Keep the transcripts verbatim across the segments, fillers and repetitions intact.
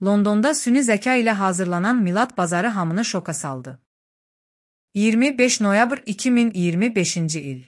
Londonda süni zəka ilə hazırlanan Milad bazarı hamını şoka saldı. iyirmi beş noyabr iki min iyirmi beşinci il.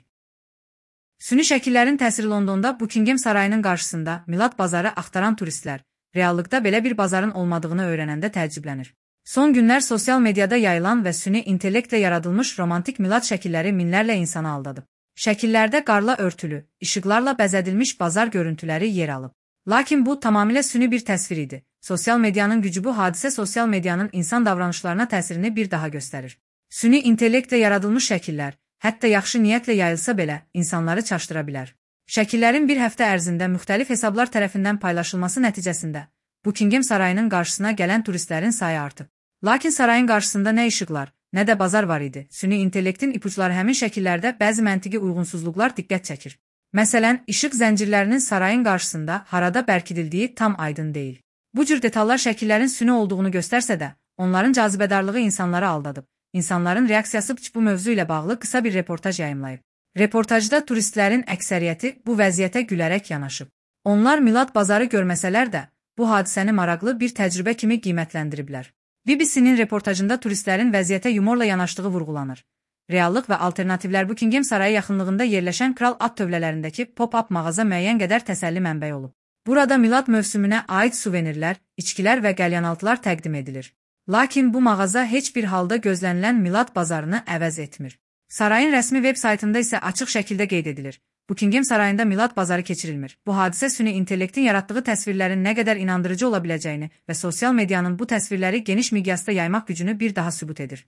Süni şəkillərin təsiri Londonda Buckingham sarayının qarşısında Milad bazarı axtaran turistlər, reallıqda belə bir bazarın olmadığını öyrənəndə təəccüblənir. Son günlər sosial mediada yayılan və süni intellektlə yaradılmış romantik Milad şəkilləri minlərlə insanı aldadıb. Şəkillərdə qarla örtülü, işıqlarla bəzədilmiş bazar görüntüləri yer alıb. Lakin bu tamamilə süni bir təsvir idi. Sosial medianın gücü bu hadisə sosial medianın insan davranışlarına təsirini bir daha göstərir. Süni intellektlə yaradılmış şəkillər, hətta yaxşı niyyətlə yayılsa belə, insanları çaşdıra bilər. Şəkillərin bir həftə ərzində müxtəlif hesablar tərəfindən paylaşılması nəticəsində Buckingham sarayının qarşısına gələn turistlərin sayı artıb. Lakin sarayın qarşısında nə işıqlar, nə də bazar var idi. Süni intellektin ipuçları həmin şəkillərdə bəzi məntiqi uyğunsuzluqlar diqqət çəkir. Məsələn, işıq zəncirlərinin sarayın qarşısında harada bərkidildiyi tam aydın deyil. Bu cür detallar şəkillərin süni olduğunu göstərsə də, onların cazibədarlığı insanları aldadıb. İnsanların reaksiyası bu mövzu ilə bağlı qısa bir reportaj yayımlayıb. Reportajda turistlərin əksəriyyəti bu vəziyyətə gülərək yanaşıb. Onlar Milad bazarı görməsələr də, bu hadisəni maraqlı bir təcrübə kimi qiymətləndiriblər. B B C-nin reportajında turistlərin vəziyyətə yumorla yanaşdığı vurğulanır. Reallıq və alternativlər Buckingham sarayı yaxınlığında yerləşən kral at tövlələrindəki pop-up mağaza müəyyən qədər təsəlli mənbəyi olub. Burada Milad mövsümünə aid suvenirlər, içkilər və qəlyanaltılar təqdim edilir. Lakin bu mağaza heç bir halda gözlənilən Milad bazarını əvəz etmir. Sarayın rəsmi veb saytında isə açıq şəkildə qeyd edilir. Buckingham sarayında Milad bazarı keçirilmir. Bu hadisə süni intellektin yaratdığı təsvirlərin nə qədər inandırıcı ola biləcəyini və sosial medianın bu təsvirləri geniş miqyasda yaymaq gücünü bir daha sübut edir.